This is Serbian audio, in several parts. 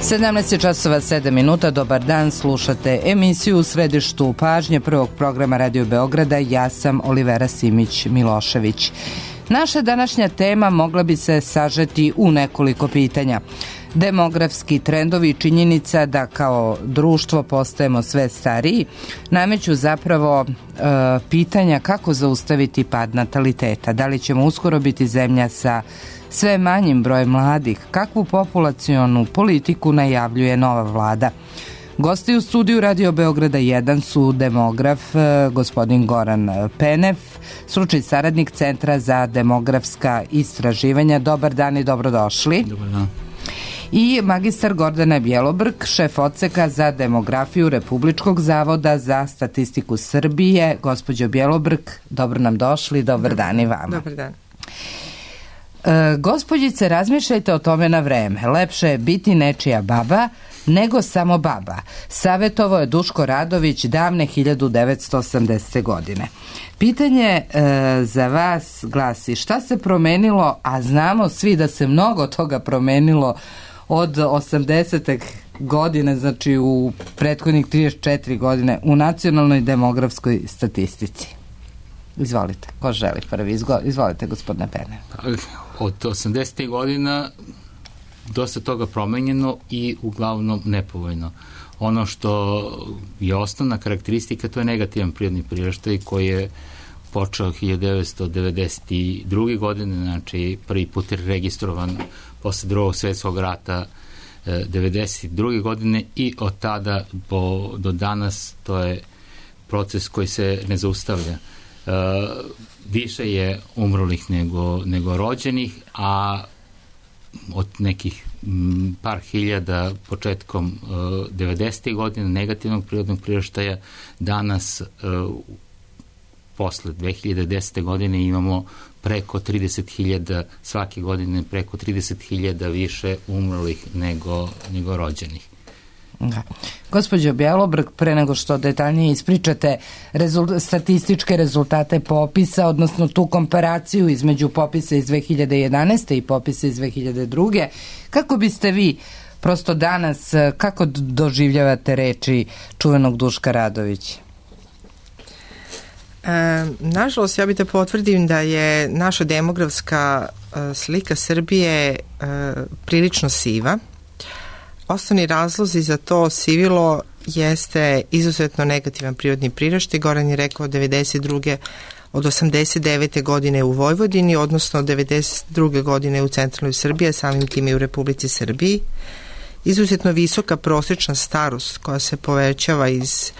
17:07. Dobar dan, slušate emisiju u središtu pažnje prvog programa Radio Beograda. Ja sam Olivera Simić-Milošević. Naša današnja tema mogla bi se sažeti u nekoliko pitanja. Demografski trendovi i činjenica da kao društvo postajemo sve stariji nameću zapravo pitanja kako zaustaviti pad nataliteta. Da li ćemo uskoro biti zemlja sa sve manjim brojem mladih? Kakvu populacionu politiku najavljuje nova vlada? Gosti u studiju Radio Beograda 1 su demograf gospodin Goran Penev, stručni saradnik Centra za demografska istraživanja. Dobar dan i dobrodošli. Dobar dan. I magistar Gordana Bjelobrk, šef odseka za demografiju Republičkog zavoda za statistiku Srbije. Gospođo Bjelobrk, dobro nam došli, dobar dan i vama. Dobar dan. Gospođice, razmišljajte o tome na vreme. Lepše je biti nečija baba nego samo baba. Savjetovao je Duško Radović davne 1980. godine. Pitanje za vas glasi: šta se promenilo, a znamo svi da se mnogo toga promenilo od 80. godine, znači u prethodnih 34 godine, u nacionalnoj demografskoj statistici? Izvolite, ko želi prvi? Izvolite, gospodine Pene. Od 80. godina dosta toga promenjeno i uglavnom nepovoljno. Ono što je osnovna karakteristika, to je negativan prirodni priraštaj koji je počeo 1992. godine, znači prvi put je registrovan posle Drugog svjetskog rata 1992. godine i od tada do danas to je proces koji se ne zaustavlja. Više je umrlih nego rođenih, a od nekih par hiljada početkom 90. godina negativnog prirodnog priraštaja danas posle 2010. godine imamo preko 30.000 svake godine, preko 30.000 više umrlih nego rođenih. Da. Gospođo Bjelobrk, pre nego što detaljnije ispričate statističke rezultate popisa, odnosno tu komparaciju između popisa iz 2011. i popisa iz 2002. Kako biste vi prosto danas, kako doživljavate reči čuvenog Duška Radovića? Nažalost, ja bih da potvrdim da je naša demografska slika Srbije prilično siva. Osnovni razlozi za to sivilo jeste izuzetno negativan prirodni priraštaj. Goran je rekao od 89. godine u Vojvodini, odnosno od 92. godine u centralnoj Srbiji, samim tim i u Republici Srbiji. Izuzetno visoka prosječna starost koja se povećava iz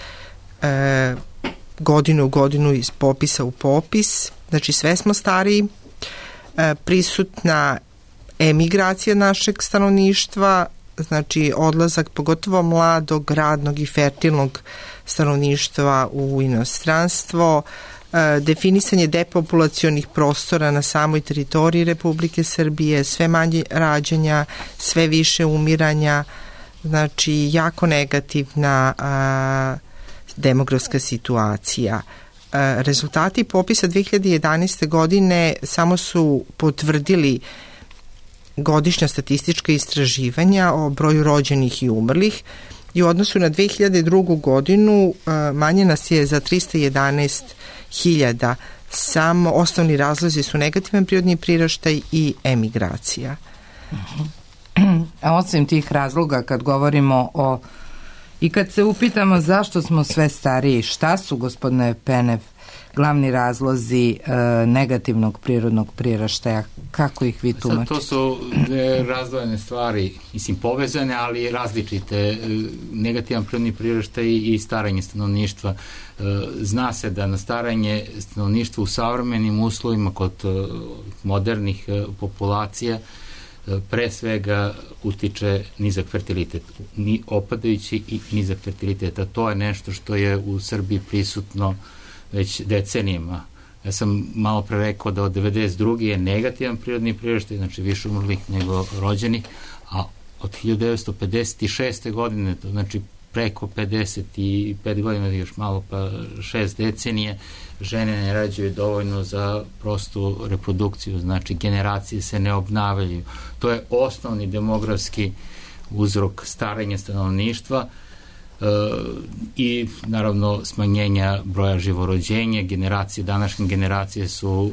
godinu u godinu, iz popisa u popis. Znači sve smo stariji. Prisutna emigracija našeg stanovništva, znači odlazak pogotovo mladog, radnog i fertilnog stanovništva u inostranstvo, definisanje depopulacionih prostora na samoj teritoriji Republike Srbije, sve manje rađanja, sve više umiranja, znači jako negativna demografska situacija. Rezultati popisa 2011. godine samo su potvrdili godišnja statistička istraživanja o broju rođenih i umrlih i u odnosu na 2002. godinu manje nas je za 311.000. Samo osnovni razlozi su negativan prirodni priraštaj i emigracija. A osim tih razloga, kad govorimo i kad se upitamo zašto smo sve stariji, šta su, gospodine Penev, glavni razlozi negativnog prirodnog priraštaja, kako ih vi tumačite? To su razdvojene stvari, mislim povezane, ali različite. Negativan prirodni priraštaj i staranje stanovništva. Zna se da na staranje stanovništva u savremenim uslovima kod modernih populacija pre svega utiče nizak fertilitet, opadajući i nizak fertilitet, a to je nešto što je u Srbiji prisutno već decenijima. Ja sam malo pre rekao da od 92. je negativan prirodni priraštaj, znači više umrlih nego rođenih, a od 1956. godine, to znači preko 55 godina, još malo pa 6 decenije, žene ne rađaju dovoljno za prostu reprodukciju, znači generacije se ne obnavljaju. To je osnovni demografski uzrok starenja stanovništva i naravno smanjenja broja živorođenja. Današnje generacije su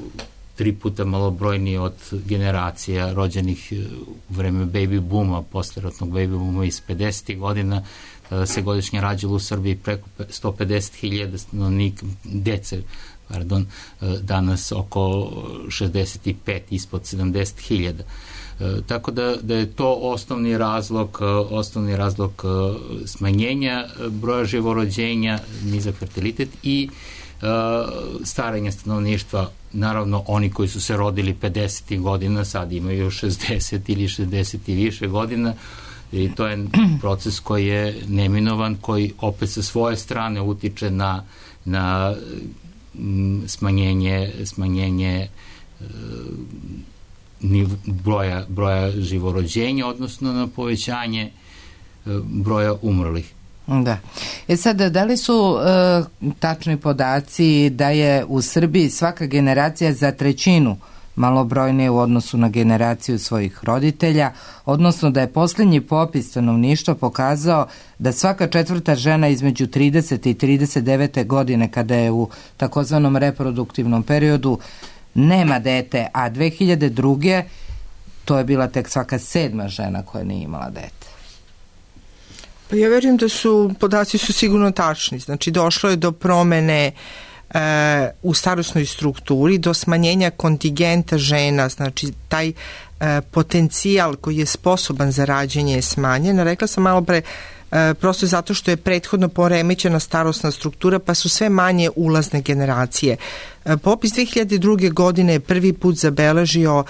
3 puta malobrojnije od generacija rođenih u vreme baby booma, posleratnog baby booma iz 50. godina, kada se godišnje rađalo u Srbiji preko 150.000 stanovnika, dece, danas oko 65, ispod 70.000. Tako da je to osnovni razlog smanjenja broja živorođenja, nizak fertilitet i starenja stanovništva. Naravno, oni koji su se rodili 50. godina sad imaju 60 ili 60 i više godina i to je proces koji je neminovan, koji opet sa svoje strane utiče na smanjenje broja živorođenja, odnosno na povećanje broja umrlih. Da. Sad, da li su tačni podaci da je u Srbiji svaka generacija za 1/3 malobrojnije u odnosu na generaciju svojih roditelja, odnosno da je posljednji popis stanovništva pokazao da svaka 4. žena između 30. i 39. godine, kada je u takozvanom reproduktivnom periodu, nema dete, a 2002. to je bila tek svaka 7. žena koja nije imala dete. Pa ja verujem da podaci su sigurno tačni. Znači, došlo je do promene u starosnoj strukturi, do smanjenja kontingenta žena, znači taj potencijal koji je sposoban za rađenje je smanjen. Rekla sam malo pre, prosto zato što je prethodno poremećena starosna struktura, pa su sve manje ulazne generacije. Popis 2002. godine je prvi put zabeležio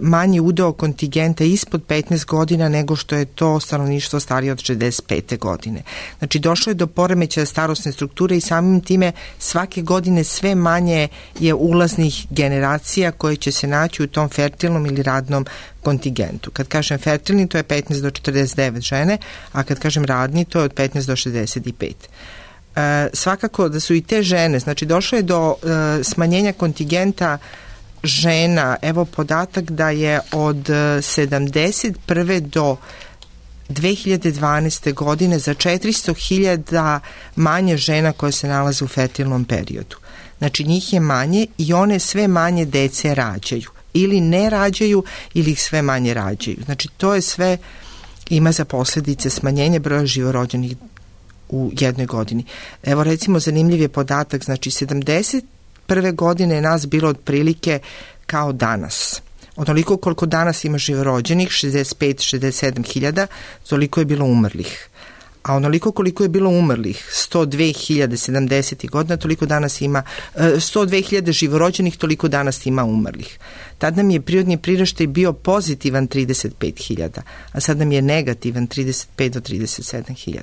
manji udeo kontingenta ispod 15 godina nego što je to stanovništvo starije od 65. godine. Znači, došlo je do poremećaja starosne strukture i samim time svake godine sve manje je ulaznih generacija koje će se naći u tom fertilnom ili radnom kontingentu. Kad kažem fertilni, to je 15 do 49 žene, a kad kažem radni, to je od 15 do 65. Svakako da su i te žene, znači došlo je do smanjenja kontingenta žena. Evo podatak da je od 71. do 2012. godine za 400.000 manje žena koje se nalaze u fertilnom periodu. Znači njih je manje i one sve manje dece rađaju. Ili ne rađaju ili ih sve manje rađaju. Znači to je sve, ima za posljedice smanjenje broja živorođenih u jednoj godini. Evo recimo zanimljiv je podatak, znači 71. godine je nas bilo otprilike kao danas. Onoliko koliko danas ima živorođenih, 65-67 hiljada, toliko je bilo umrlih. A onoliko koliko je bilo umrlih, 102.070 godina, toliko danas ima, 102.000 živorođenih, toliko danas ima umrlih. Tad nam je prirodni priraštaj bio pozitivan 35.000, a sad nam je negativan 35 do 37.000.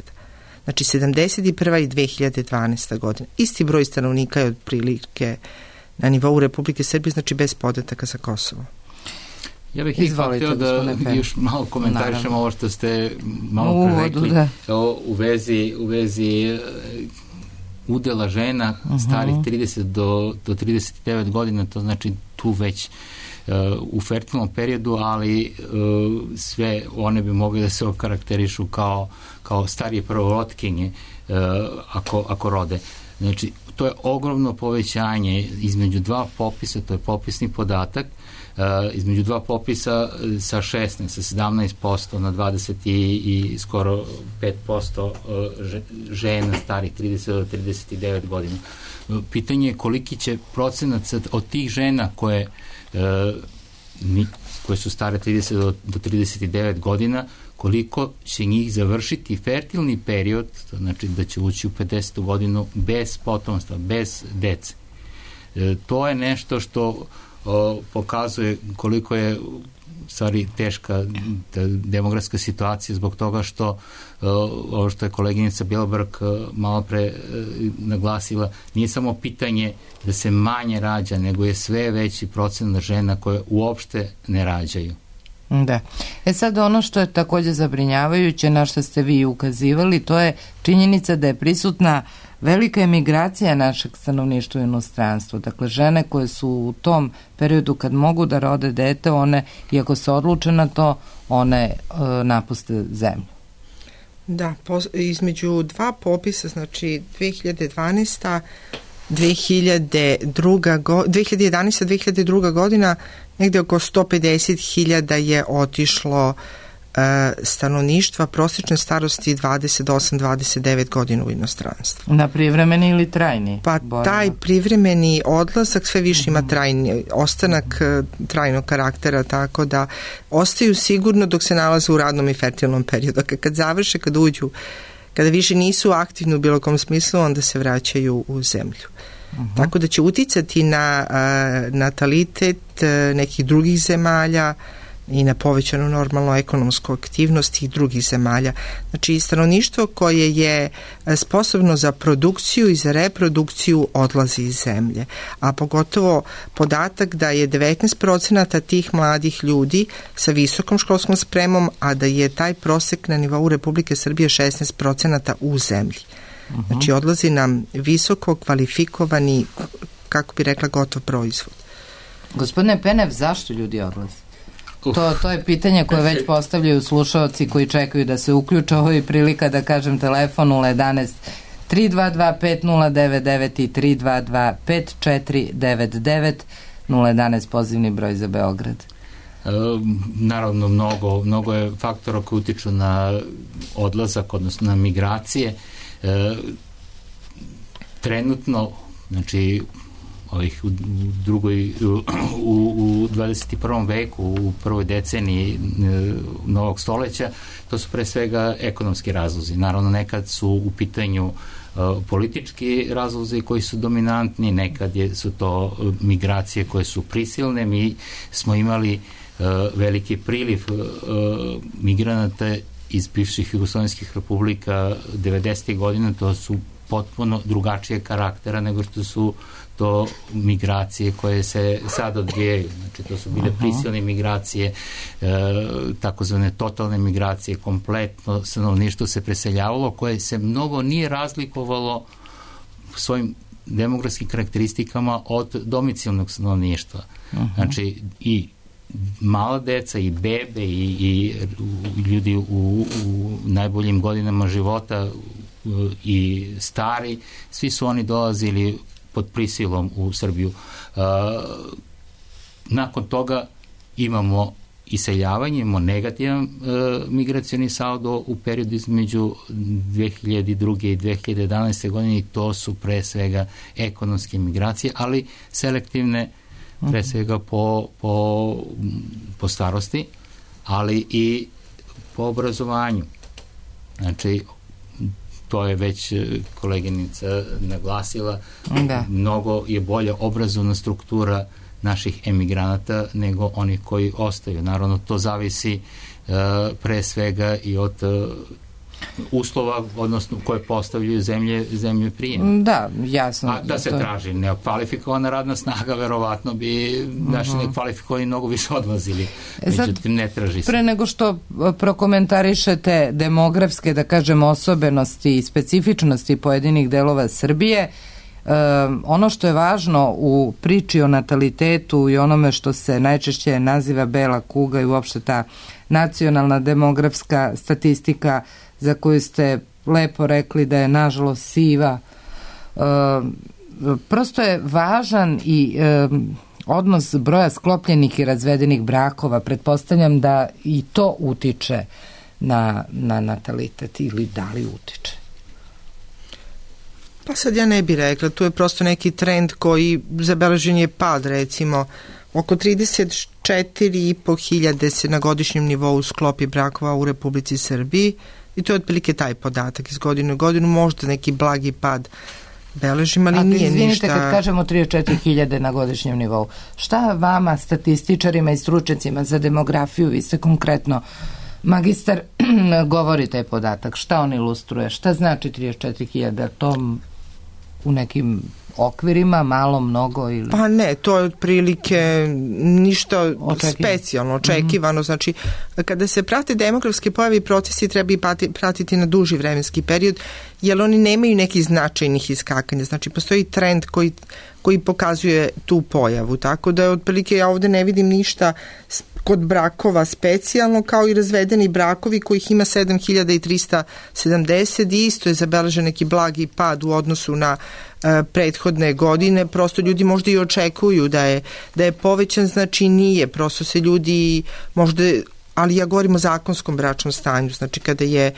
Znači 71. i 2012. godina. Isti broj stanovnika je otprilike na nivou Republike Srbije, znači bez podataka za Kosovo. Ja bih htio da još malo komentarišem ovo što ste malo pre rekli u vezi udela žena starih 30 do 39 godina, to znači tu već u fertilnom periodu, ali sve one bi mogli da se okarakterišu kao starije prvorotkinje ako rode. Znači, to je ogromno povećanje između dva popisa, to je popisni podatak, između dva popisa sa 16, sa 17% na 20 i skoro 5% žena starih 30 do 39 godina. Pitanje je koliki će procenat od tih žena koje su stare 30 do 39 godina, koliko će njih završiti fertilni period, znači da će ući u 50. godinu bez potomstva, bez dece. To je nešto što pokazuje koliko je stvari teška demografska situacija, zbog toga što ovo što je koleginica Bjelberg malo pre naglasila, nije samo pitanje da se manje rađa, nego je sve veći procenat žena koje uopšte ne rađaju. Da. Sad ono što je također zabrinjavajuće, na što ste vi ukazivali, to je činjenica da je prisutna velika emigracija našeg stanovništva u inostranstvu. Dakle, žene koje su u tom periodu kad mogu da rode dete, one, iako se odluče na to, one napuste zemlju. Da, između dva popisa, znači 2011. 2002. godina, negde oko 150.000 je otišlo stanovništva prosječne starosti 28-29 godina u inostranstvu. Na privremeni ili trajni? Pa taj privremeni odlazak sve više ima trajni ostanak trajnog karaktera, tako da ostaju sigurno dok se nalaze u radnom i fertilnom periodu. Kad završe, kad uđu, kada više nisu aktivni u bilo kom smislu, onda se vraćaju u zemlju. Tako da će uticati na natalitet nekih drugih zemalja i na povećanu normalnu ekonomsku aktivnost tih drugih zemalja. Znači, stanovništvo koje je sposobno za produkciju i za reprodukciju odlazi iz zemlje. A pogotovo podatak da je 19% tih mladih ljudi sa visokom školskom spremom, a da je taj prosek na nivou Republike Srbije 16% u zemlji. Znači, odlazi nam visoko kvalifikovani, kako bi rekla, gotov proizvod. Gospodine Penev, zašto ljudi odlaze? To je pitanje koje već postavljaju slušaoci koji čekaju da se uključe. Ovo je prilika da kažem telefon 011 322 5099 i 322 5499 011 pozivni broj za Beograd. Naravno, mnogo je faktora koji utiču na odlazak, odnosno na migracije. Trenutno, znači u 21. veku, u prvoj deceniji novog stoleća, to su pre svega ekonomski razlozi. Naravno, nekad su u pitanju politički razlozi koji su dominantni, nekad su to migracije koje su prisilne. Mi smo imali veliki priliv migranata iz bivših jugoslovenskih republika 90. godina. To su potpuno drugačije karaktera nego što su to migracije koje se sad odvijaju. Znači, to su bile prisilne migracije, takozvane totalne migracije, kompletno stanovništvo se preseljavalo, koje se mnogo nije razlikovalo svojim demografskim karakteristikama od domicilnog stanovništva. Znači, i mala deca, i bebe, i ljudi u najboljim godinama života, i stari, svi su oni dolazili pod prisilom u Srbiju. Nakon toga imamo iseljavanje, imamo negativan migracioni saldo u periodu između 2002. i 2011. godine i to su pre svega ekonomske migracije, ali selektivne pre svega po starosti, ali i po obrazovanju. Znači, to je već koleginica naglasila, mnogo je bolja obrazovna struktura naših emigranata nego onih koji ostaju. Naravno, to zavisi pre svega i od uslova, odnosno koje postavljaju zemlje prijem. Da, jasno. A da se traži nekvalifikovana radna snaga, verovatno bi naši nekvalifikovani mnogo više odlazili. Međutim, ne traži se. Pre nego što prokomentarišete demografske, da kažem, osobenosti i specifičnosti pojedinih delova Srbije, ono što je važno u priči o natalitetu i onome što se najčešće naziva bela kuga i uopšte ta nacionalna demografska statistika za koju ste lepo rekli da je nažalost siva, prosto je važan i odnos broja sklopljenih i razvedenih brakova. Pretpostavljam da i to utiče na natalitet, ili da li utiče? Pa sad ja ne bih rekla, tu je prosto neki trend koji zabeležen je pad, recimo oko 34.500 se na godišnjem nivou sklopi brakova u Republici Srbiji i to je otprilike taj podatak iz godine u godinu, možda neki blagi pad beležim, ali nije ništa. Izvinite, kad kažemo 34.000 na godišnjem nivou, šta vama, statističarima i stručnjacima za demografiju, vi ste konkretno magistar, govori taj podatak, šta on ilustruje, šta znači 34.000, to u nekim okvirima, malo, mnogo ili... Pa ne, to je otprilike ništa specijalno, očekivano. Znači, kada se prate demografske pojave i procesi, treba i pratiti na duži vremenski period, jer oni nemaju nekih značajnih iskakanja. Znači, postoji trend koji pokazuje tu pojavu. Tako da, otprilike, ja ovde ne vidim ništa kod brakova specijalno, kao i razvedeni brakovi kojih ima 7370 i isto je zabeležen neki blagi pad u odnosu na prethodne godine. Prosto ljudi možda i očekuju da je povećan, znači nije. Prosto se ljudi možda, ali ja govorim o zakonskom bračnom stanju, znači kada je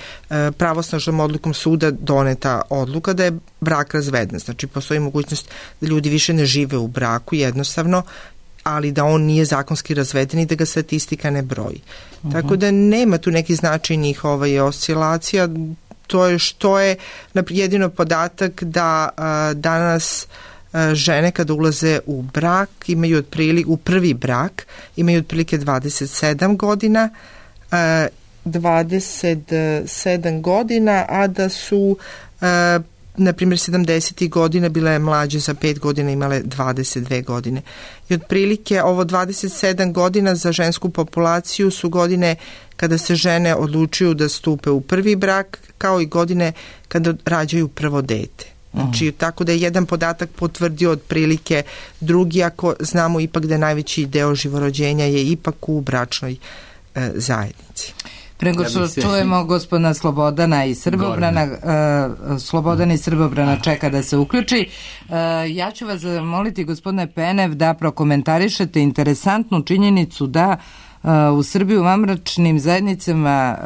pravosnažnom odlukom suda doneta odluka da je brak razveden. Znači postoji mogućnost da ljudi više ne žive u braku jednostavno, ali da on nije zakonski razveden i da ga statistika ne broji. Tako da nema tu nekih značajnih oscilacija. To je što je jedino podatak da danas žene kada ulaze u brak imaju u prvi brak imaju otprilike 27 godina, 27 godina, a da su na primjer 70. godina bile mlađe za 5 godina, imale 22 godine. I otprilike ovo 27 godina za žensku populaciju su godine kada se žene odlučuju da stupe u prvi brak, kao i godine kada rađaju prvo dete. Znači, tako da je jedan podatak potvrdio otprilike drugi, ako znamo ipak da je najveći deo živorođenja je ipak u bračnoj zajednici. Prego što čujemo gospodina Slobodana i Srbobrana, Slobodan i Srbobrana čeka da se uključi. Ja ću vas zamoliti, gospodine Penev, da prokomentarišete interesantnu činjenicu da u Srbiji u vanbračnim zajednicama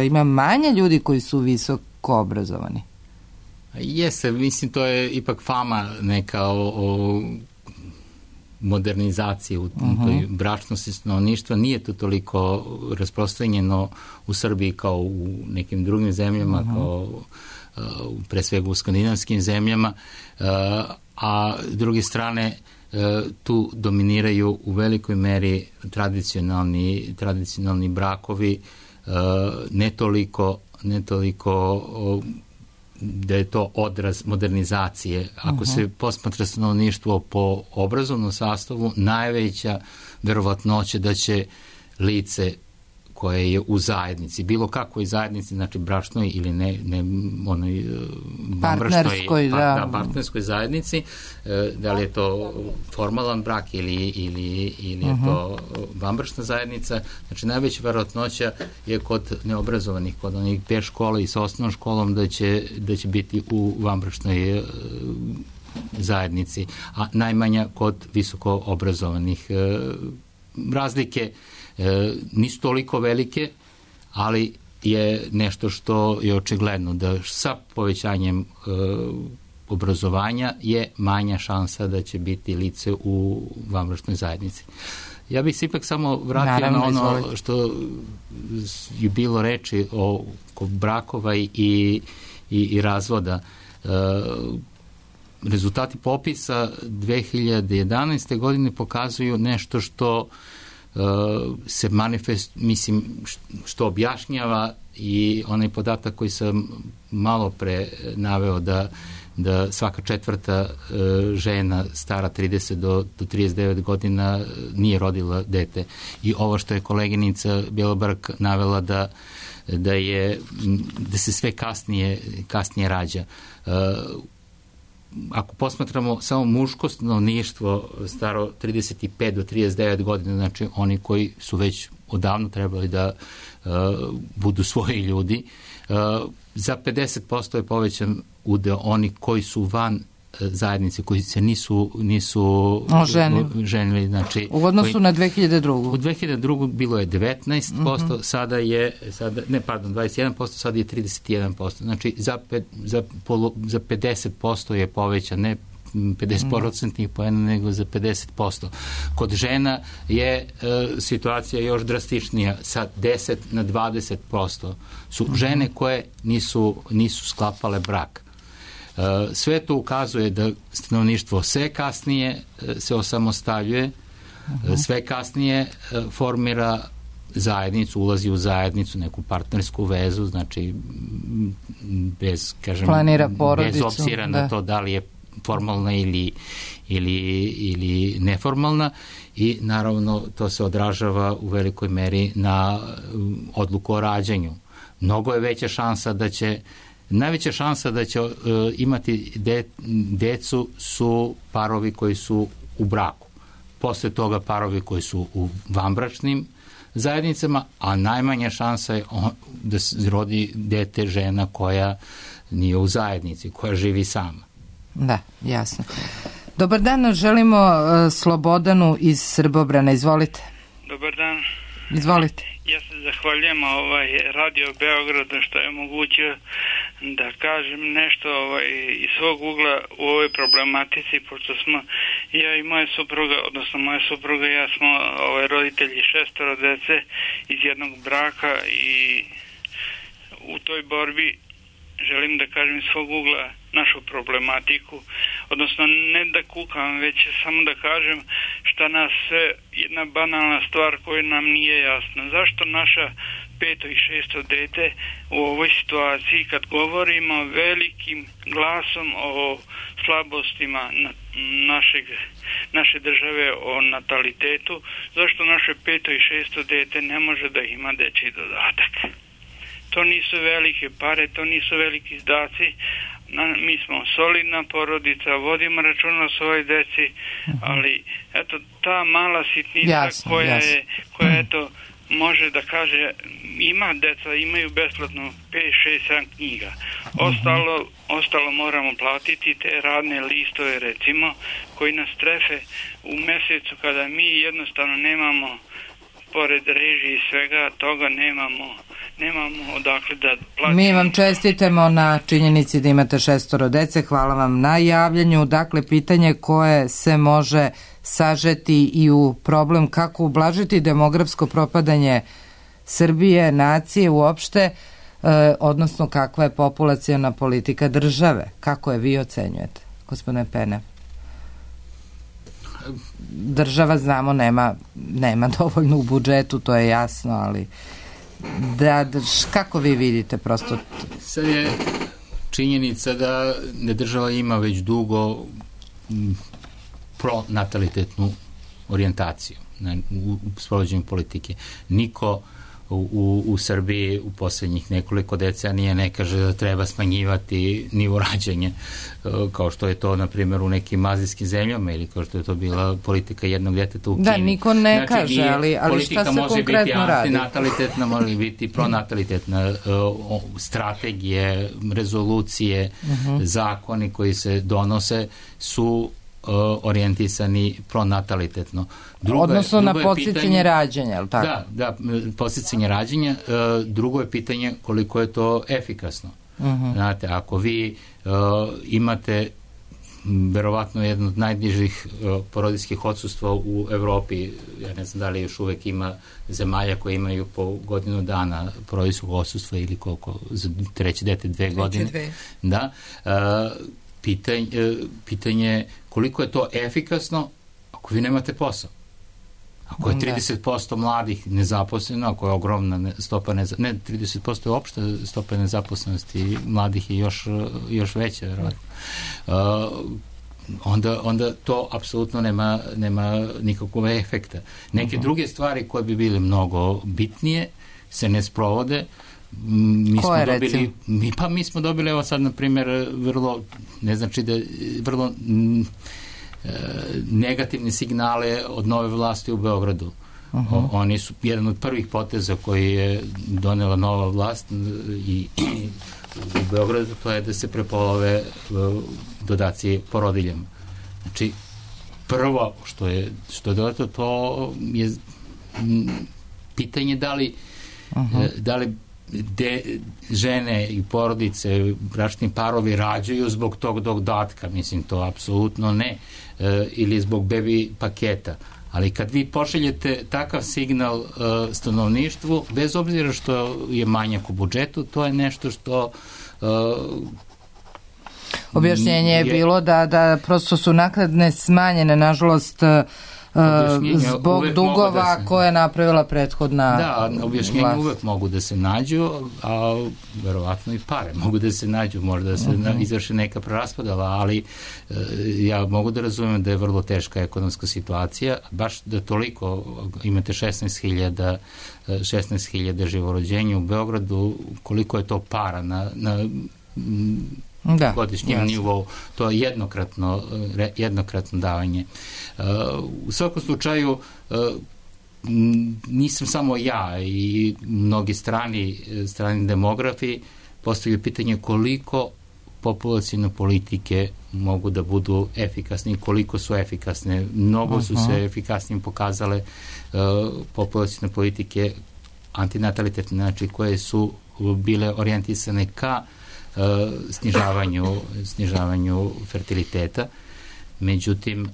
ima manje ljudi koji su visoko obrazovani. Jeste, mislim, to je ipak fama neka o modernizacije u toj bračnosti stanovništva. Nije to toliko rasprostranjeno u Srbiji kao u nekim drugim zemljama, kao pre svega u skandinavskim zemljama, a s druge strane tu dominiraju u velikoj meri tradicionalni brakovi, ne toliko da je to odraz modernizacije. Ako se posmatra stanovništvo po obrazovnom sastavu, najveća verovatnoća da će lice koje je u zajednici, bilo kakvoj zajednici, znači bračnoj ili ne onoj partnerskoj zajednici, da li je to formalan brak ili je to vanbračna zajednica, znači najveća verovatnoća je kod neobrazovanih, kod onih bez škole i sa osnovnom školom da će biti u vanbračnoj zajednici, a najmanja kod visoko obrazovanih. Razlike nisu toliko velike, ali je nešto što je očigledno da sa povećanjem obrazovanja je manja šansa da će biti lice u vanbračnoj zajednici. Ja bih se ipak samo vratio na ono što je bilo reči oko brakova i razvoda. Rezultati popisa 2011. godine pokazuju nešto što se što objašnjava i onaj podatak koji sam malo pre naveo da svaka četvrta žena stara 30 do 39 godina nije rodila dete. I ovo što je koleginica Bjelobrk navela da se sve kasnije rađa. Ako posmatramo samo muško stanovništvo staro 35 do 39 godina, znači oni koji su već odavno trebali da budu svoji ljudi, za 50% je povećan udeo oni koji su van zajednice, koji se nisu ženili. Znači, u odnosu na 2002. U 2002. bilo je 19%, sada je 21%, sada je 31%. Znači, za 50% je povećan, ne 50% poena, nego za 50%. Kod žena je situacija još drastičnija, sa 10 na 20% su žene koje nisu sklapale brak. Sve to ukazuje da stanovništvo sve kasnije se osamostaljuje, sve kasnije formira zajednicu, ulazi u zajednicu, neku partnersku vezu, znači bez obzira na to da li je formalna ili neformalna, i naravno to se odražava u velikoj meri na odluku o rađanju. Mnogo je veća šansa da će najveća šansa da će imati decu su parovi koji su u braku. Posle toga parovi koji su u vanbračnim zajednicama, a najmanja šansa je da se rodi dete žena koja nije u zajednici, koja živi sama. Da, jasno. Dobar dan, želimo Slobodanu iz Srbobrana. Izvolite. Dobar dan. Izvolite. Ja se zahvaljujem Radio Beogradu što je omogućio da kažem nešto iz svog ugla u ovoj problematici, pošto smo ja i moja supruga, odnosno moja supruga i ja smo roditelji 6 dece iz jednog braka, i u toj borbi želim da kažem iz svog ugla našu problematiku, odnosno ne da kukam, već samo da kažem šta nas sve, jedna banalna stvar koja nam nije jasna. Zašto naša 5. i 6. dete u ovoj situaciji, kad govorimo velikim glasom o slabostima naše države, o natalitetu, zašto naše 5. i 6. dete ne može da ima dečji dodatak? To nisu velike pare, to nisu veliki izdaci. Mi smo solidna porodica, vodimo računa o svojoj deci, ali eto, ta mala sitnica koja eto, može da kaže, ima deca, imaju besplatno 5, 6, 7 knjiga. Ostalo moramo platiti te radne listove, recimo, koji nas trefe u mesecu kada mi jednostavno nemamo, pored režije i svega toga, nemamo odakle da platimo. Mi vam čestitamo na činjenici da imate 6 dece, hvala vam na javljanju. Dakle, pitanje koje se može sažeti i u problem kako ublažiti demografsko propadanje Srbije, nacije uopšte, odnosno kakva je populaciona politika države. Kako je vi ocenjujete, gospodine Pene? Država, znamo, nema dovoljno u budžetu, to je jasno, ali kako vi vidite prosto? Sad je činjenica da država ima već dugo pronatalitetnu orijentaciju u sprovođenju politike. Niko u Srbiji u poslednjih nekoliko decenija ne kaže da treba smanjivati nivo rađanja, kao što je to, na primjer, u nekim azijskim zemljama, ili kao što je to bila politika jednog deteta u Kini. Da, niko ne kaže, ali šta se konkretno radi? Politika može biti antinatalitetna, može biti pronatalitetna. Strategije, rezolucije, zakoni koji se donose su orijentisani pronatalitetno. Odnosno na podsticanje rađanja, je li tako? Da, podsticanje rađanja. Drugo je pitanje koliko je to efikasno. Znate, ako vi imate verovatno jedno od najnižih porodiljskih odsustva u Evropi, ja ne znam da li još uvek ima zemalja koje imaju po godinu dana porodiljskog odsustva, ili koliko, za treće dete 2 godine. Da. Pitanje koliko je to efikasno ako vi nemate posao. Ako je 30% mladih nezaposleno, ako je ogromna stopa ne 30% je opšta stopa nezaposlenosti, mladih je još veća, verovatno. Onda to apsolutno nema nikakvog efekta. Neke druge stvari koje bi bile mnogo bitnije se ne sprovode. Mi smo dobili, evo sad, na primjer, vrlo, ne znači da vrlo negativne signale od nove vlasti u Beogradu. Oni su jedan od prvih poteza koji je donela nova vlast i u Beogradu, to je da se prepolove dodaci porodiljama. Znači, prvo što je dodato, to je pitanje da li žene i porodice, bračni parovi rađaju zbog tog dodatka. Mislim, to apsolutno ne. Ili zbog bebi paketa. Ali kad vi pošaljete takav signal stanovništvu, bez obzira što je manjak u budžetu, to je nešto što... Objašnjenje je bilo da prosto su naknade smanjene, nažalost, zbog dugova koje je napravila prethodna Da, objašnjenja uvek mogu da se nađu, a verovatno i pare mogu da se nađu, možda da se izvrši neka preraspodela, ali ja mogu da razumem da je vrlo teška ekonomska situacija, baš da toliko imate 16.000 živorođenja u Beogradu, koliko je to para na godišnjem nivou, to je jednokratno davanje. U svakom slučaju nisam samo ja i mnogi strani demografi postavljaju pitanje koliko populacione politike mogu da budu efikasne i koliko su efikasne. Mnogo su se efikasnim pokazale populacione politike antinatalitetne, znači koje su bile orijentisane ka snižavanju fertiliteta. Međutim,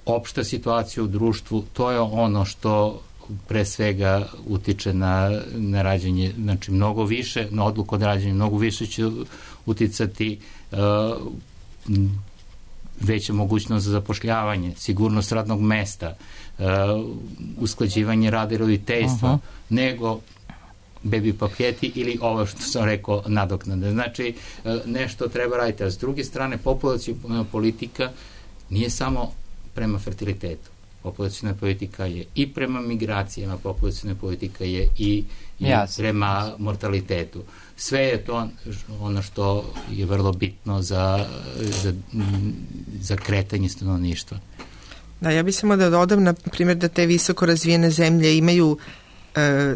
opšta situacija u društvu, to je ono što pre svega utiče na rađanje, znači mnogo više, na odluku od rađanja, mnogo više će uticati veća mogućnost za zapošljavanje, sigurnost radnog mesta, usklađivanje rada i roditeljstva, nego baby paketi ili ovo što sam rekao nadoknade. Znači, nešto treba raditi. A s druge strane, populaciona politika nije samo prema fertilitetu. Populaciona politika je i prema migracijama, populaciona politika je i prema mortalitetu. Sve je to ono što je vrlo bitno za kretanje stanovništva. Da, ja bih samo da dodam, na primjer, da te visoko razvijene zemlje imaju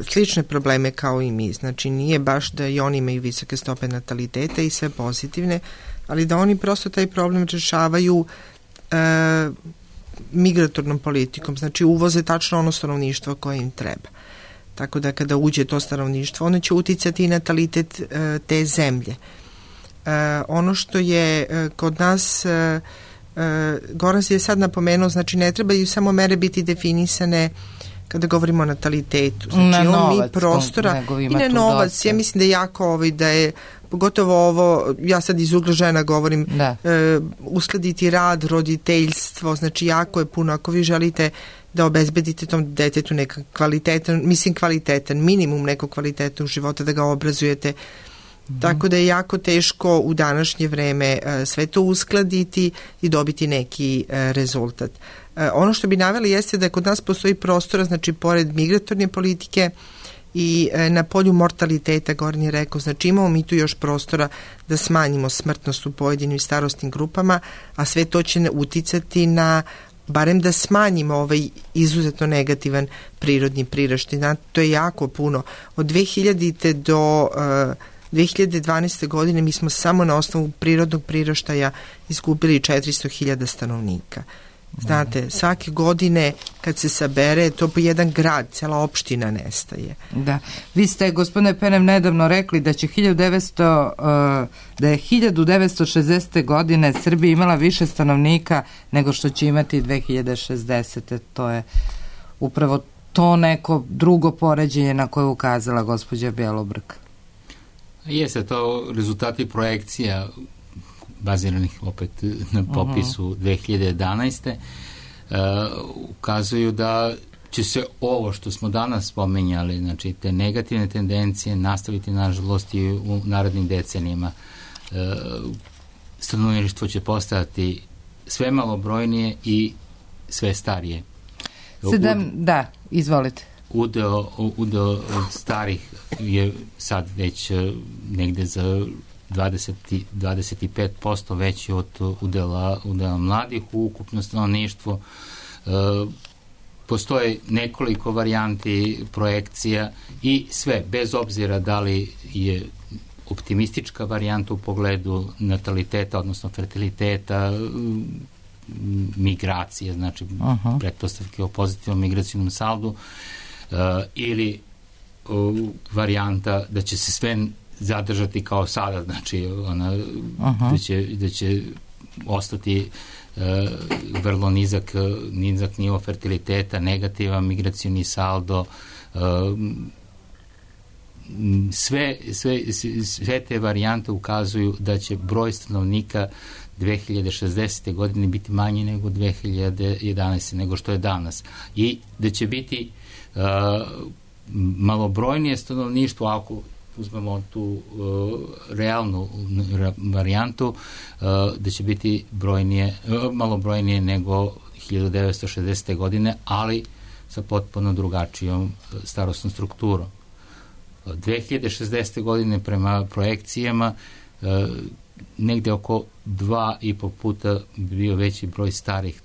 slične probleme kao i mi. Znači, nije baš da i oni imaju visoke stope nataliteta i sve pozitivne, ali da oni prosto taj problem rešavaju migratornom politikom. Znači, uvoze tačno ono stanovništvo koje im treba. Tako da kada uđe to stanovništvo, ono će uticati i natalitet te zemlje. Ono što je kod nas, Goran je sad napomenuo, znači ne trebaju samo mere biti definisane kada govorimo o natalitetu. Znači, mi prostora i na novac. Ja mislim da je jako da je pogotovo ovo, ja sad iz ugla žena govorim, uskladiti rad, roditeljstvo, znači jako je puno. Ako vi želite da obezbedite tom detetu nekak kvalitetan, minimum nekog kvalitetnog života, da ga obrazujete. Tako da je jako teško u današnje vreme sve to uskladiti i dobiti neki rezultat. Ono što bi naveli jeste da kod nas postoji prostora, znači pored migratorne politike i na polju mortaliteta, Goran je rekao, znači imamo mi tu još prostora da smanjimo smrtnost u pojedinim starostnim grupama, a sve to će uticati na barem da smanjimo ovaj izuzetno negativan prirodni priraštaj. To je jako puno. Od 2000. do 2012. godine mi smo samo na osnovu prirodnog priraštaja izgubili 400.000 stanovnika. Znate, svake godine kad se sabere, to po jedan grad, cela opština nestaje. Da. Vi ste, gospodine Penem, nedavno rekli da će 1960. godine Srbija imala više stanovnika nego što će imati 2060. To je upravo to neko drugo poređenje na koje je ukazala gospođa Bjelobrk. Jeste, to rezultati projekcija baziranih opet na popisu 2011. Ukazuju da će se ovo što smo danas spomenjali, znači te negativne tendencije nastaviti nažalost i u narednim decenijima. Stanovništvo će postajati sve malobrojnije i sve starije. Da, izvolite. Udeo starih je sad već negde za 25% veći od udela mladih u ukupno stanovništvo. Postoje nekoliko varijanti projekcija i sve, bez obzira da li je optimistička varijanta u pogledu nataliteta, odnosno fertiliteta, migracije, znači pretpostavke o pozitivnom migracijnom saldu, ili varijanta da će se sve zadržati kao sada, znači da će ostati vrlo nizak nivo fertiliteta, negativan migracioni saldo, sve te varijante ukazuju da će broj stanovnika 2060. godine biti manji nego 2011. nego što je danas. I da će biti malobrojnije stanovništvo, ako uzmemo tu realnu varijantu, da će biti malobrojnije nego 1960. godine, ali sa potpuno drugačijom starosnom strukturom. 2060. godine prema projekcijama negde oko 2,5 puta bio veći broj starih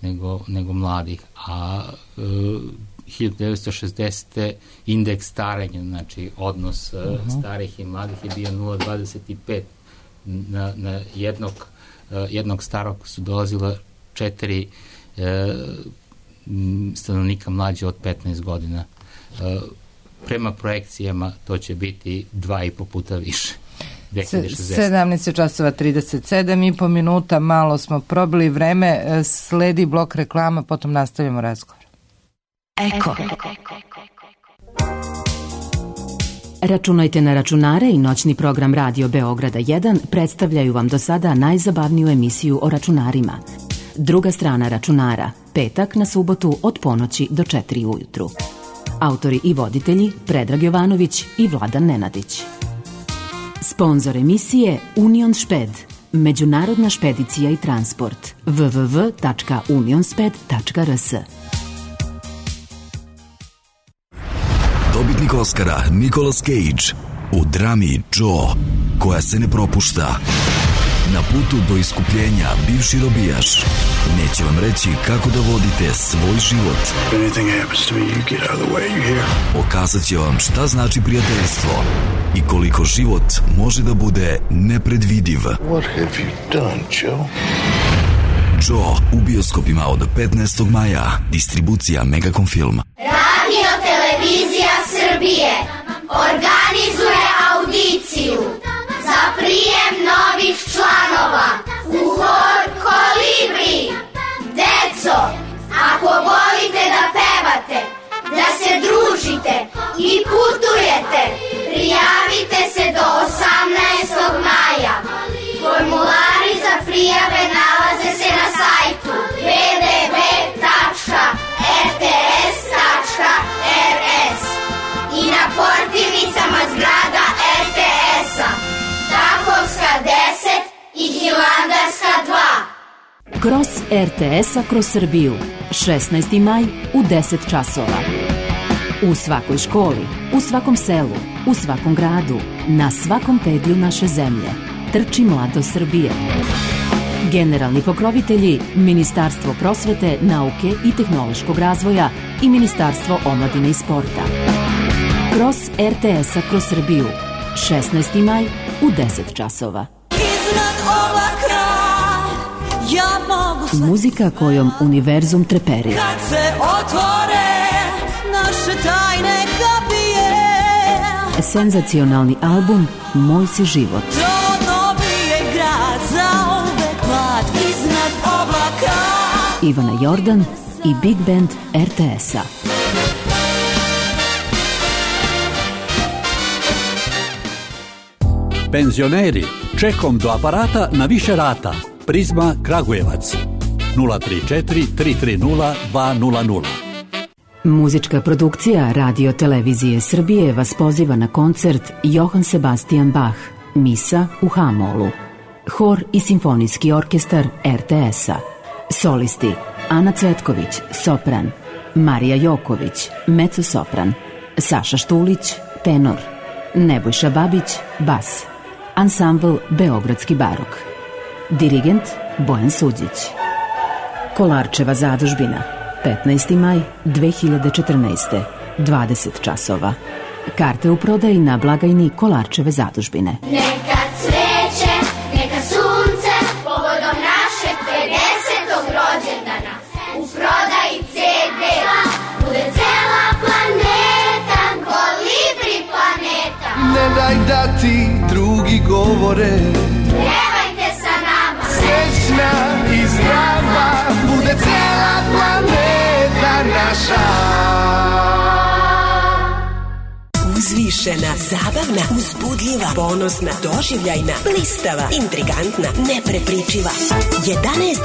nego mladih, a 1960. indeks starenja, znači odnos starih i mladih je bio 0,25. Na jednog starog su dolazila 4 stanovnika mlađe od 15 godina. Prema projekcijama to će biti 2,5 puta više. 17 časova 37,5 minuta, malo smo probili vreme, sledi blok reklama, potom nastavljamo razgovor. Eko. Računajte na računare i noćni program Radio Beograda 1 predstavljaju vam do sada najzabavniju emisiju o računarima. Druga strana računara, petak na subotu od ponoći do 4 ujutru. Autori i voditelji Predrag Jovanović i Vladan Nenadić. Sponzor emisije Union Šped, međunarodna špedicija i transport, www.unionsped.rs. Dobitnik Oscara Nicolas Cage u drami Joe, koja se ne propušta. Na putu do iskupljenja bivši robijaš neće vam reći kako da vodite svoj život. Pokazat će vam šta znači prijateljstvo i koliko život može da bude nepredvidiv. Joe u bioskopima od 15. maja. Distribucija Megacom Film. Radio Televizija Srbije organizuje audiciju za prijem novih članova u hor Kolibri. Deco, ako volite da pevate, da se družite i putujete, prijavite se do 18. maja. Formulari za prijave nalaze se na sajtu www.rts.rs i na portirnicama zgrada RTS-a, Takovska 10 i Hilandarska 2. Kroz RTS-a kroz Srbiju, 16. maj u 10 časova. U svakoj školi, u svakom selu, u svakom gradu, na svakom pedlju naše zemlje. Trči mladost Srbije. Generalni pokrovitelji Ministarstvo prosvete, nauke i tehnološkog razvoja i Ministarstvo omladine i sporta. Kroz RTS-a kroz Srbiju, 16. maj u 10 časova. Muzika kojom univerzum treperi. Kad se otvore naše tajne kapije. Senzacionalni album Moj si život. To novije grad zauvek mlad iznad oblaka. Ivana Jordan i Big Band RTS-a. Penzioneri, čekom do aparata na više rata. Prizma Kragujevac 034 330 200. Muzička produkcija Radio Televizije Srbije vas poziva na koncert Johann Sebastian Bach, Misa u H-molu. Hor i simfonijski orkestar RTS-a. Solisti Ana Cvetković, sopran, Marija Joković, mezzo-sopran, Saša Štulić, tenor, Nebojša Babić, bas. Ansambl Beogradski barok. Dirigent Bojan Suđić. Kolarčeva zadužbina, 15. maj 2014. 20 časova. Karte u prodaji na blagajni Kolarčeve zadužbine. Neka cveće, neka sunce, povodom našeg 50. rođendana. U prodaji CD-a bude cela planeta, Kolibri planeta. Ne daj da ti drugi govore, Pevajte sa nama, srećna i zdrava, bude cela planeta naša. Uzviš neizbrišena, zabavna, uzbudljiva, ponosna, doživljajna, blistava, intrigantna, neprepričiva.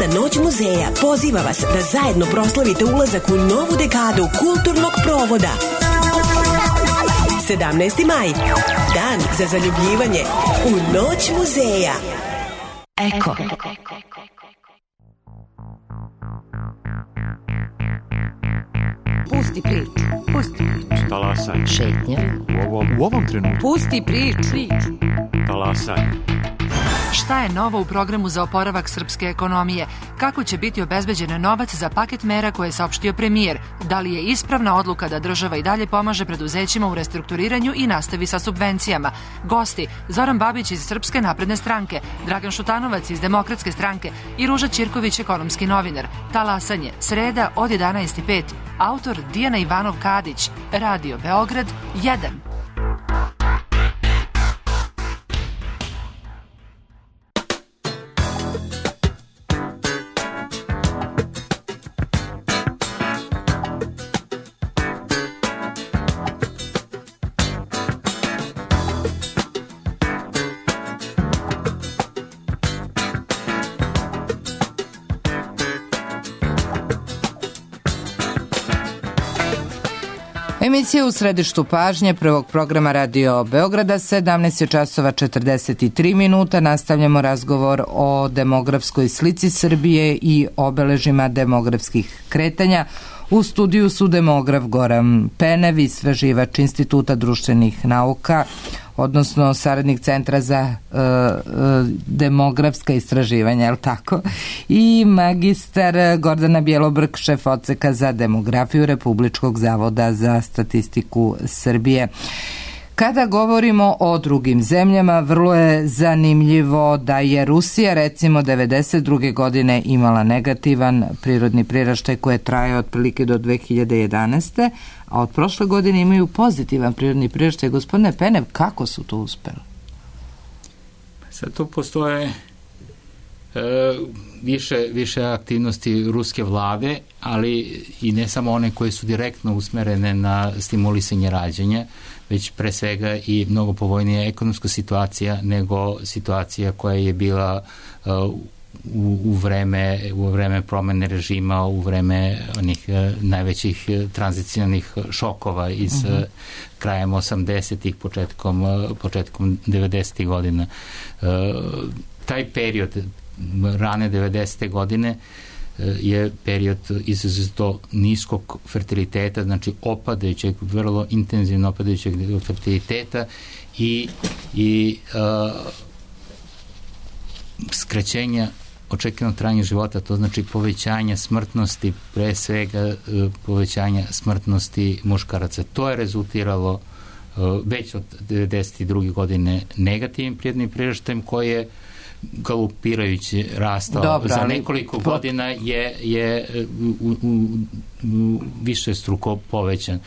11. noć muzeja poziva vas da zajedno proslavite ulazak u novu dekadu kulturnog provoda. 17. maj, dan za zaljubljivanje u noć muzeja. Eko. Pusti priču. Pusti priču. Talasaj. Šetnja. U ovom trenutku. Pusti priču. Talasaj. Šta je novo u programu za oporavak srpske ekonomije? Kako će biti obezbeđen novac za paket mera koje je saopštio premijer? Da li je ispravna odluka da država i dalje pomaže preduzećima u restrukturiranju i nastavi sa subvencijama? Gosti: Zoran Babić iz Srpske napredne stranke, Dragan Šutanovac iz Demokratske stranke i Ruža Ćirković, ekonomski novinar. Talasanje, sreda od 11:05. Autor Dijana Ivanov-Kadić. Radio Beograd 1. Emisija u središtu pažnje prvog programa Radio Beograda, 17 je časova 43 minuta. Nastavljamo razgovor o demografskoj slici Srbije i obeležima demografskih kretanja. U studiju su demograf Goran Penev, istraživač Instituta društvenih nauka, odnosno saradnik Centra za demografska istraživanja, je li tako? I magistar Gordana Bjelobrk, šef odseka za demografiju Republičkog zavoda za statistiku Srbije. Kada govorimo o drugim zemljama, vrlo je zanimljivo da je Rusija recimo 1992. godine imala negativan prirodni priraštaj koji je trajao otprilike do 2011. a od prošle godine imaju pozitivan prirodni priraštaj. Gospodine Penev, kako su to uspeli? Sad tu postoje više aktivnosti ruske vlade, ali i ne samo one koje su direktno usmerene na stimulisanje rađanja, već pre svega i mnogo povoljnija ekonomska situacija nego situacija koja je bila u vreme promene režima, u vreme onih najvećih tranzicionih šokova iz krajem 80-ih, početkom 90-ih godina. Taj period rane 90. godine je period izuzetno niskog fertiliteta, znači opadajućeg, vrlo intenzivno opadajućeg fertiliteta i skraćenja očekivanog trajanja života, to znači povećanja smrtnosti, pre svega povećanja smrtnosti muškaraca. To je rezultiralo već od 92. godine negativnim prirodnim priraštajem koji je galopirajući rastao. Za nekoliko godina je više struko povećan.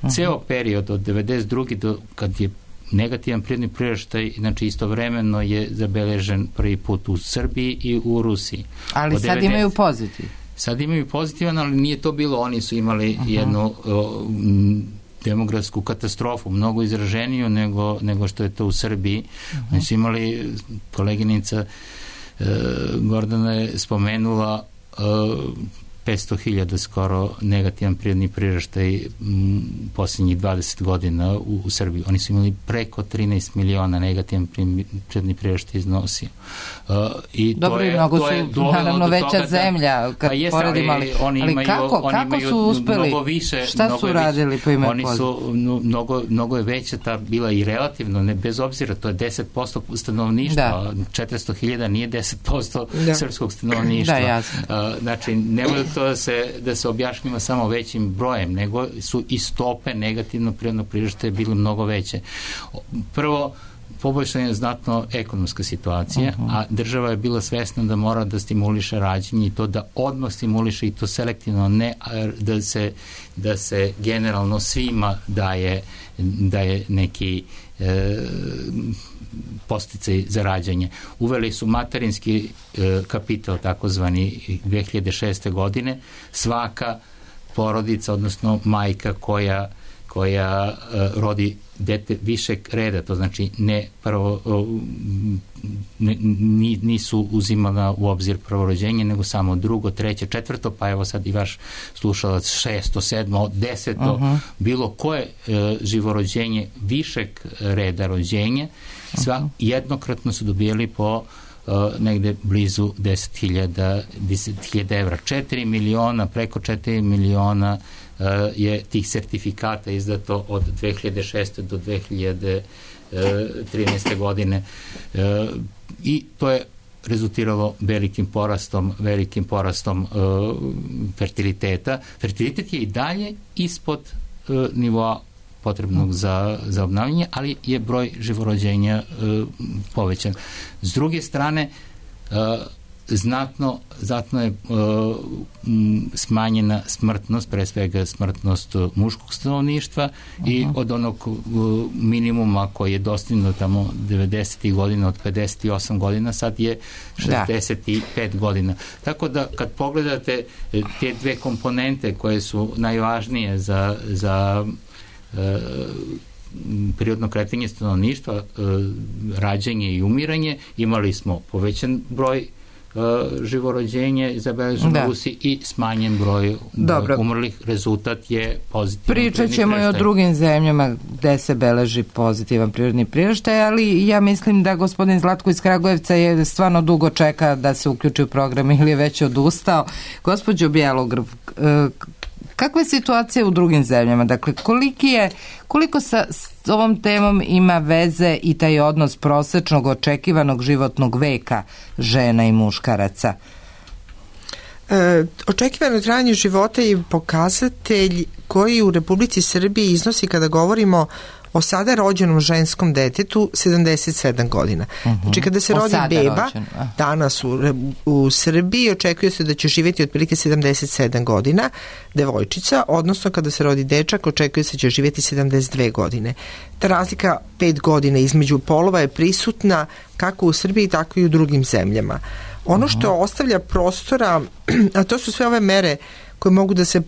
Ceo period od 92. do kad je negativan prirodni priraštaj, znači istovremeno je zabeležen prvi put u Srbiji i u Rusiji. Ali sad imaju pozitiv. Sad imaju pozitivan, ali nije to bilo. Oni su imali jednu demografsku katastrofu, mnogo izraženiju nego što je to u Srbiji. Oni su imali, koleginica Gordana je spomenula 500.000 skoro negativan prirodni priraštaj posljednjih 20 godina u Srbiji. Oni su imali preko 13 miliona negativan prirodni priraštaj iznosio. Dobro, i mnogo su naravno veća zemlja kad poredimo, ali kako su uspeli? Šta su radili po ime Oni su, mnogo je veća ta bila i relativno, bez obzira, to je 10% stanovništva, 400.000 nije 10% srpskog stanovništva. Znači, nemoj to da se objašnjava samo većim brojem, nego su i stope negativno prirodnog priraštaja bile mnogo veće. Prvo, poboljšana je znatno ekonomska situacija, a država je bila svesna da mora da stimuliše rađenje i to da odmah stimuliše i to selektivno, ne da se generalno svima daje neki podsticaj za rađanje. Uveli su materinski kapital, takozvani 2006. godine. Svaka porodica, odnosno majka koja rodi dete višeg reda, to znači ne prvo nisu uzimala u obzir prvorođenje, nego samo drugo, treće, četvrto, pa evo sad i vaš slušalac 6., 7., 10. Bilo koje živorođenje višeg reda rođenja, sva jednokratno su dobijali po negde blizu 10.000 evra. 4 miliona, preko 4 miliona je tih sertifikata izdato od 2006. do 2013. godine i to je rezultiralo velikim porastom fertiliteta. Fertilitet je i dalje ispod nivoa potrebnog za obnavljanje, ali je broj živorođenja povećan. S druge strane, znatno je smanjena smrtnost, pre svega smrtnost muškog stanovništva i od onog minimuma koji je dostignut tamo 90. godina, od 58 godina, sad je 65 godina. Tako da kad pogledate te dve komponente koje su najvažnije za prirodno kretanje stanovništva, rađanje i umiranje, imali smo povećan broj živorođenje zabeležen u Rusiji i smanjen broj umrlih. Rezultat je pozitivan. Pričat ćemo i o drugim zemljama gde se beleži pozitivan prirodni priraštaj, ali ja mislim da gospodin Zlatko iz Kragujevca je stvarno dugo čeka da se uključi u program ili je već odustao. Gospođo Bjelogrv, kakva je situacija u drugim zemljama? Dakle, koliko sa ovom temom ima veze i taj odnos prosečnog očekivanog životnog veka žena i muškaraca? Očekivano trajanje života je pokazatelj koji u Republici Srbiji iznosi, kada govorimo o sada rođenom ženskom detetu, 77 godina. Znači kada se rodi beba danas u Srbiji, očekuje se da će živjeti otprilike 77 godina devojčica, odnosno kada se rodi dečak, očekuje se da će živjeti 72 godine. Ta razlika 5 godina između polova je prisutna kako u Srbiji, tako i u drugim zemljama. Ono što ostavlja prostora, a to su sve ove mere koje mogu da se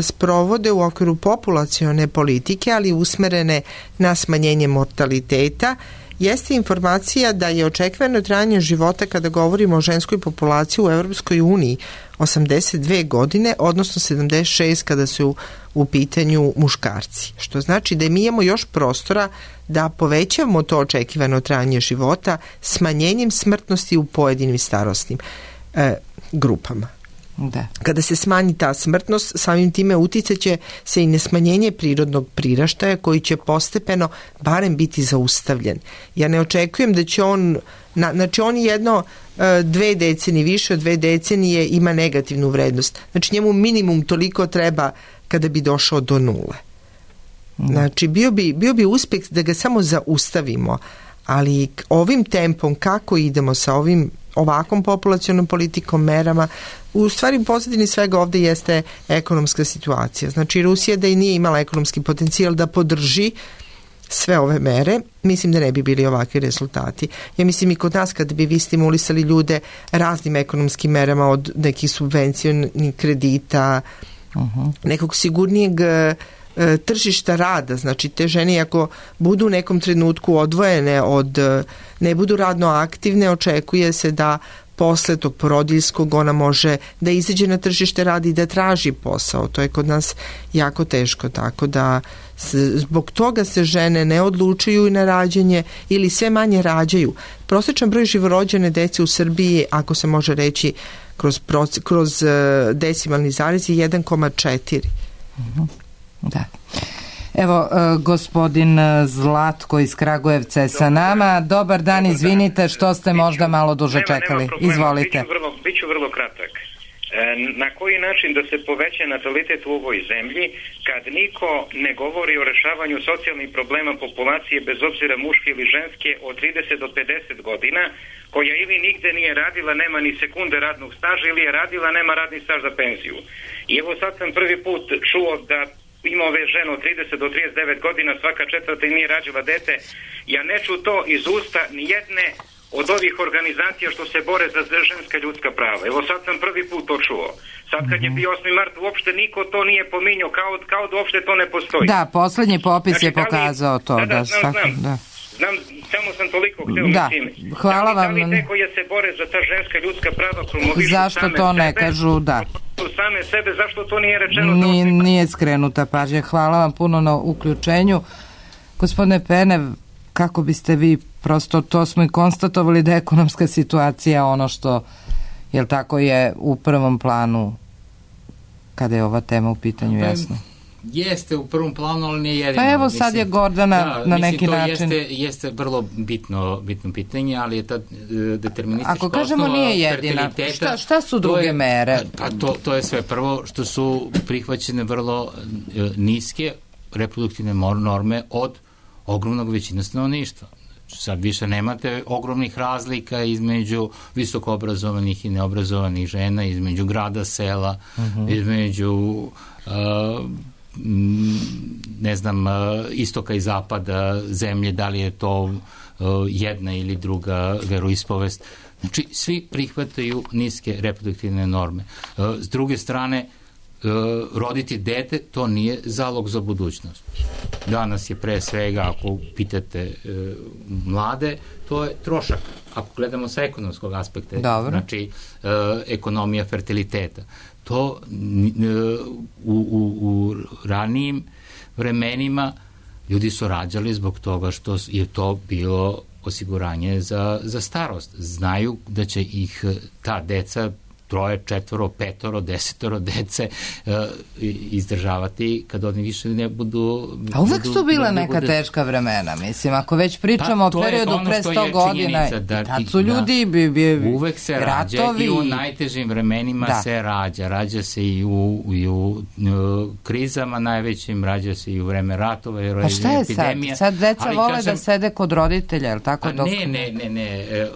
sprovode u okviru populacione politike, ali usmerene na smanjenje mortaliteta, jeste informacija da je očekivano trajanje života, kada govorimo o ženskoj populaciji u Evropskoj uniji, 82 godine, odnosno 76 kada su u pitanju muškarci. Što znači da mi imamo još prostora da povećavamo to očekivano trajanje života smanjenjem smrtnosti u pojedinim starosnim grupama. Da. Kada se smanji ta smrtnost, samim time uticaće se i na smanjenje prirodnog priraštaja koji će postepeno barem biti zaustavljen. Ja ne očekujem da će on, znači on jedno 2 decenije, više od 2 decenije ima negativnu vrednost. Znači njemu minimum toliko treba kada bi došao do nule. Znači bio bi uspeh da ga samo zaustavimo, ali ovim tempom kako idemo sa ovakvom populacionom politikom, merama, u stvari u pozadini svega ovde jeste ekonomska situacija. Znači Rusija da i nije imala ekonomski potencijal da podrži sve ove mere, mislim da ne bi bili ovakvi rezultati. Ja mislim i kod nas kada bi vi stimulisali ljude raznim ekonomskim merama, od nekih subvencionih kredita, nekog sigurnijeg tržišta rada, znači te žene ako budu u nekom trenutku odvojene ne budu radno aktivne, očekuje se da posle tog porodiljskog ona može da izađe na tržište rada i da traži posao. To je kod nas jako teško, tako da zbog toga se žene ne odlučuju na rađanje ili sve manje rađaju. Prosječan broj živorođene dece u Srbiji, ako se može reći kroz decimalni zarez, je 1,4. Da. Evo, gospodin Zlatko iz Kragujevca je sa nama. Dobar dan, izvinite što ste možda malo duže čekali. Izvolite. Biću vrlo kratak. Na koji način da se poveća natalitet u ovoj zemlji kad niko ne govori o rešavanju socijalnih problema populacije bez obzira muške ili ženske od 30 do 50 godina, koja ili nigde nije radila, nema ni sekunde radnog staža, ili je radila, nema radni staž za penziju. I evo sad sam prvi put čuo da ima ove žene od 30 do 39 godina, svaka četvrta i nije rađila dete. Ja ne ču to iz usta ni jedne od ovih organizacija što se bore za ženska ljudska prava. Evo sad sam prvi put to čuo. Sad kad je bio 8. mart uopšte niko to nije pominjao, kao da uopšte to ne postoji. Da, poslednji popis je pokazao to. Znam, samo sam toliko hteo mislim. Hvala vam. Da li te koje se bore za ta ženska ljudska prava promovišu zašto same to ne sebe, kažu, same sebe, zašto to nije rečeno? Nije skrenuta pažnja. Hvala vam puno na uključenju. Gospodine Penev, kako biste vi, prosto to smo i konstatovali da je ekonomska situacija ono što, jel tako, je u prvom planu kada je ova tema u pitanju, jasno? Jeste u prvom planu, ali nije jedino. Pa evo sad je Gordana na neki način. Jeste vrlo bitno pitanje, ali je ta deterministička osnova. Ako kažemo nije jedina, šta su druge mere? Pa to je sve. Prvo što su prihvaćene vrlo niske reproduktivne norme od ogromnog većine stanovništva. Sad više nemate ogromnih razlika između visokoobrazovanih i neobrazovanih žena, između grada, sela, između ne znam, istoka i zapada zemlje, da li je to jedna ili druga veroispovest. Znači, svi prihvataju niske reproduktivne norme. S druge strane, roditi dete, to nije zalog za budućnost. Danas je pre svega, ako pitate mlade, to je trošak. Ako gledamo sa ekonomskog aspekta, znači ekonomija fertiliteta. To u ranijim vremenima ljudi su rađali zbog toga što je to bilo osiguranje za starost. Znaju da će ih ta deca 3, 4, 5, 10 dece izdržavati kad oni više ne budu... A uvek su bila neka teška vremena, mislim, ako već pričamo o periodu pre 100 godina, tad su ljudi uvek se rađa i u najtežim vremenima se rađa. Rađa se i u krizama najvećim, rađa se i u vreme ratova i epidemija. Pa šta je sad? Sad deca vole da sede kod roditelja, je li tako? Ne.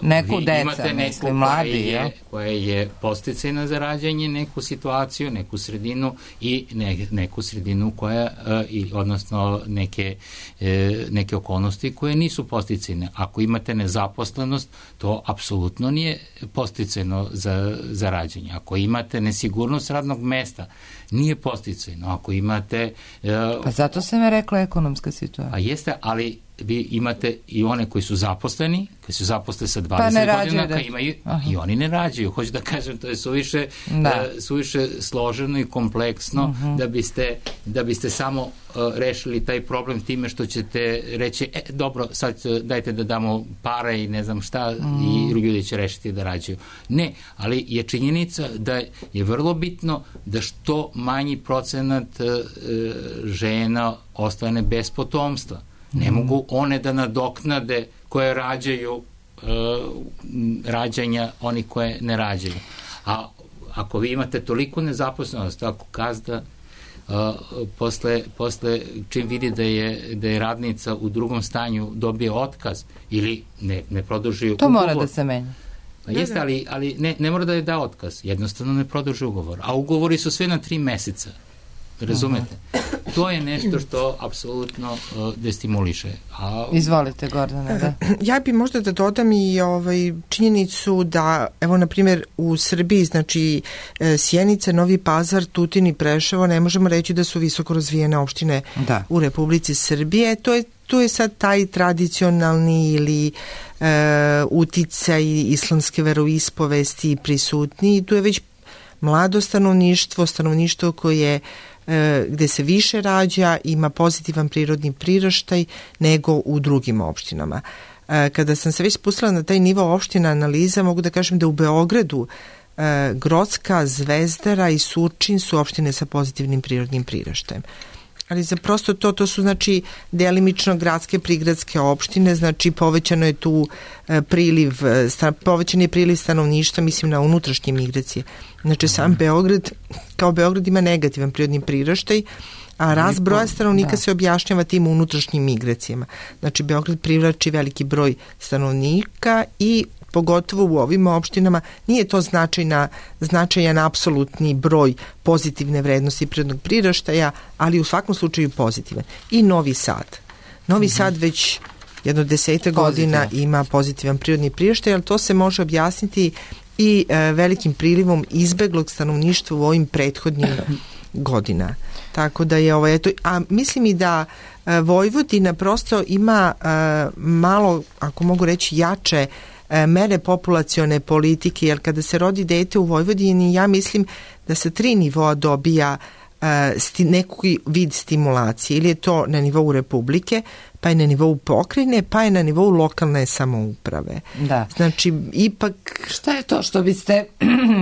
Neku deca, mislim, mladi, koja je posticajna za rađanje, neku situaciju, neku sredinu i neku sredinu koja, odnosno neke okolnosti koje nisu posticajne. Ako imate nezaposlenost, to apsolutno nije posticajno za rađanje. Ako imate nesigurnost radnog mesta, nije posticajno. Ako imate... Pa zato sam je rekla ekonomska situacija. A jeste, ali vi imate i one koji su zaposleni, koji su zaposleni sa 20 godina, koji imaju, i oni ne rađaju. Hoću da kažem, to je suviše složeno i kompleksno da biste samo rešili taj problem time što ćete reći, dobro, sad dajte da damo pare i ne znam šta i ljudi će rešiti da rađaju. Ne, ali je činjenica da je vrlo bitno da što manji procenat žena ostane bez potomstva. Ne mogu one da nadoknade koje rađaju rađanja oni koje ne rađaju. A ako vi imate toliko nezaposlenost, ako gazda posle čim vidi da je radnica u drugom stanju dobije otkaz ili ne produži ugovor. To mora da se menja. Pa jeste, ali ne mora da je da otkaz. Jednostavno ne produži ugovor. A ugovori su sve na 3 meseca. Razumete? To je nešto što apsolutno destimuliše. Izvolite, Gordana, da. Ja bi možda da dodam i činjenicu da, evo, na primjer, u Srbiji, znači Sjenica, Novi Pazar, Tutin i Preševo, ne možemo reći da su visoko razvijene opštine u Republici Srbije. Tu je sad taj tradicionalni ili uticaj islamske veroispovesti prisutni i tu je već mlado stanovništvo koje gde se više rađa, ima pozitivan prirodni priraštaj nego u drugim opštinama. Kada sam se već spustila na taj nivo opština analiza, mogu da kažem da u Beogradu Grocka, Zvezdara i Surčin su opštine sa pozitivnim prirodnim priraštajem. Ali za prosto to su, znači, delimično gradske, prigradske opštine, znači povećan je priliv stanovništva, mislim na unutrašnje migracije. Znači sam Beograd, kao Beograd ima negativan prirodni priraštaj, a rast broja stanovnika se objašnjava tim unutrašnjim migracijama. Znači Beograd privlači veliki broj stanovnika i pogotovo u ovim opštinama nije to značajan apsolutni broj pozitivne vrednosti prirodnog priraštaja, ali u svakom slučaju pozitivan. I Novi Sad. Novi Sad već jedno 10 godina ima pozitivan prirodni priraštaj, ali to se može objasniti i velikim prilivom izbeglog stanovništva u ovim prethodnim godina. Tako da je eto, a mislim i da Vojvodina prosto ima malo, ako mogu reći, jače mere populacione politike, jer kada se rodi dete u Vojvodini, ja mislim da sa 3 nivoa dobija neki vid stimulacije, ili je to na nivou Republike, pa je na nivou pokrajine, pa je na nivou lokalne samouprave. Da. Znači, ipak... Šta je to što biste,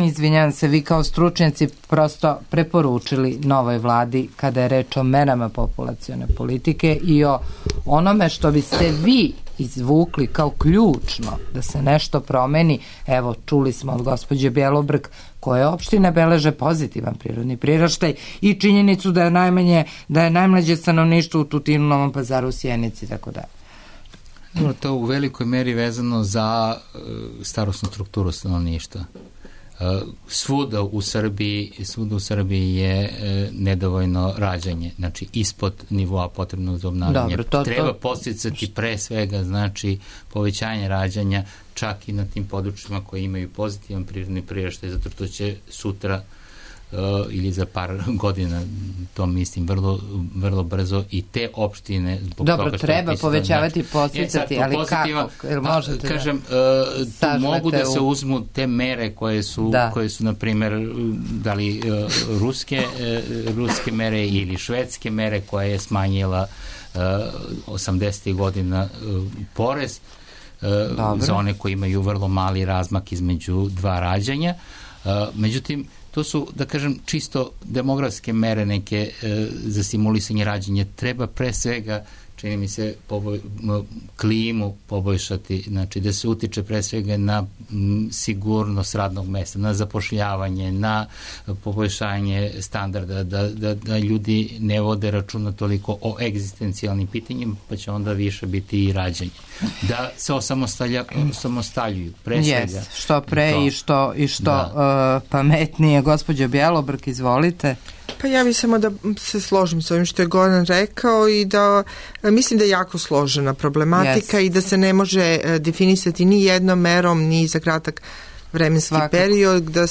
izvinjam se, vi kao stručnjaci prosto preporučili novoj vladi kada je reč o merama populacione politike i o onome što biste vi izvukli kao ključno da se nešto promeni? Evo, čuli smo od gospođe Bjelobrk koje opštine beleže pozitivan prirodni priraštaj i činjenicu da je najmlađe stanovništvo u Tutinu, Novom Pazaru, Sjenici i tako dalje. To u velikoj meri vezano za starosnu strukturu stanovništva. Svuda u Srbiji je nedovoljno rađanje, znači ispod nivoa potrebnog za obnavljanje. Treba posticati pre svega, znači, povećanje rađanja čak i na tim područjima koji imaju pozitivan prirodni priraštaj, zato što će sutra ili za par godina, to mislim vrlo brzo, i te opštine zbog toga što treba povećavati, podsticati, ali kako? Kažem, tu mogu da se uzmu te mere koje su na primjer, da li ruske mere ili švedske mere, koja je smanjila 80. godina porez za one koji imaju vrlo mali razmak između dva rađanja. Međutim, to su, da kažem, čisto demografske mere neke za stimulisanje rađanja. Treba pre svega, čini mi se, klimu poboljšati, znači da se utiče pre svega na sigurnost radnog mesta, na zapošljavanje, na poboljšanje standarda, da ljudi ne vode računa toliko o egzistencijalnim pitanjima, pa će onda više biti i rađanje. Da se osamostaljuju, pre svega. Što pre i što pametnije. Gospođo Bjelobrk, izvolite. Pa ja bih samo da se složim s ovim što je Goran rekao i da mislim da je jako složena problematika i da se ne može definisati ni jednom merom, ni za kratak vremenski period, da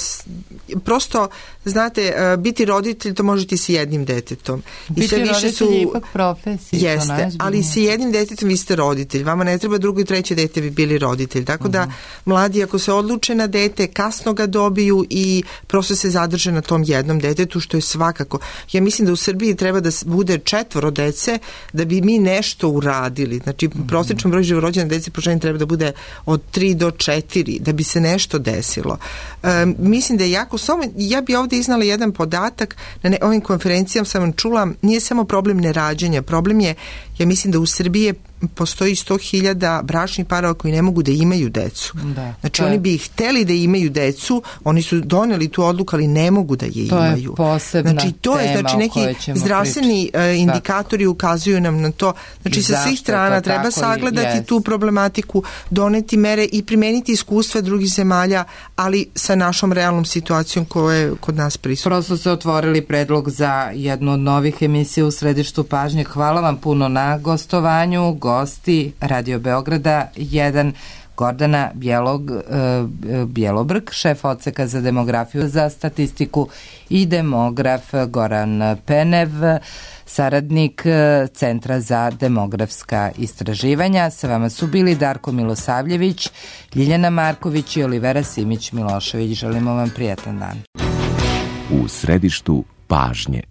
prosto, znate, biti roditelj to možete i sa jednim detetom. Biti roditelj je ipak profesija. Jeste, ali sa jednim detetom vi ste roditelj. Vama ne treba drugo i treće dete bi bili roditelj. Tako da mladi, ako se odluče na dete, kasno ga dobiju i prosto se zadrže na tom jednom detetu, što je svakako. Ja mislim da u Srbiji treba da bude 4 dece da bi mi nešto uradili. Znači, prosječan broj živorođene dece po ženi treba da bude od 3 do 4, da bi se nešto desilo. Mislim da je jako ja bi ovdje iznala jedan podatak, na ovim konferencijama sam vam čula, nije samo problem nerađanja, problem je, ja mislim da u Srbiji postoji 100.000 bračnih parova koji ne mogu da imaju decu. Znači oni bi hteli da imaju decu, oni su doneli tu odluku, ali ne mogu da je imaju. To je posebna tema neki zdravstveni indikatori ukazuju nam na to. Znači sa svih strana treba sagledati tu problematiku, doneti mere i primeniti iskustva drugih zemalja, ali sa našom realnom situacijom koja je kod nas prisutna. Prosto ste otvorili predlog za jednu od novih emisija u središtu pažnje. Hvala vam puno na gostovanju. Gosti Radio Beograda 1, Gordana Bjelobrk, šef odseka za demografiju, za statistiku i demograf Goran Penev, saradnik Centra za demografska istraživanja. Sa vama su bili Darko Milosavljević, Ljiljana Marković i Olivera Simić Milošević. Želimo vam prijatan dan. U središtu pažnje.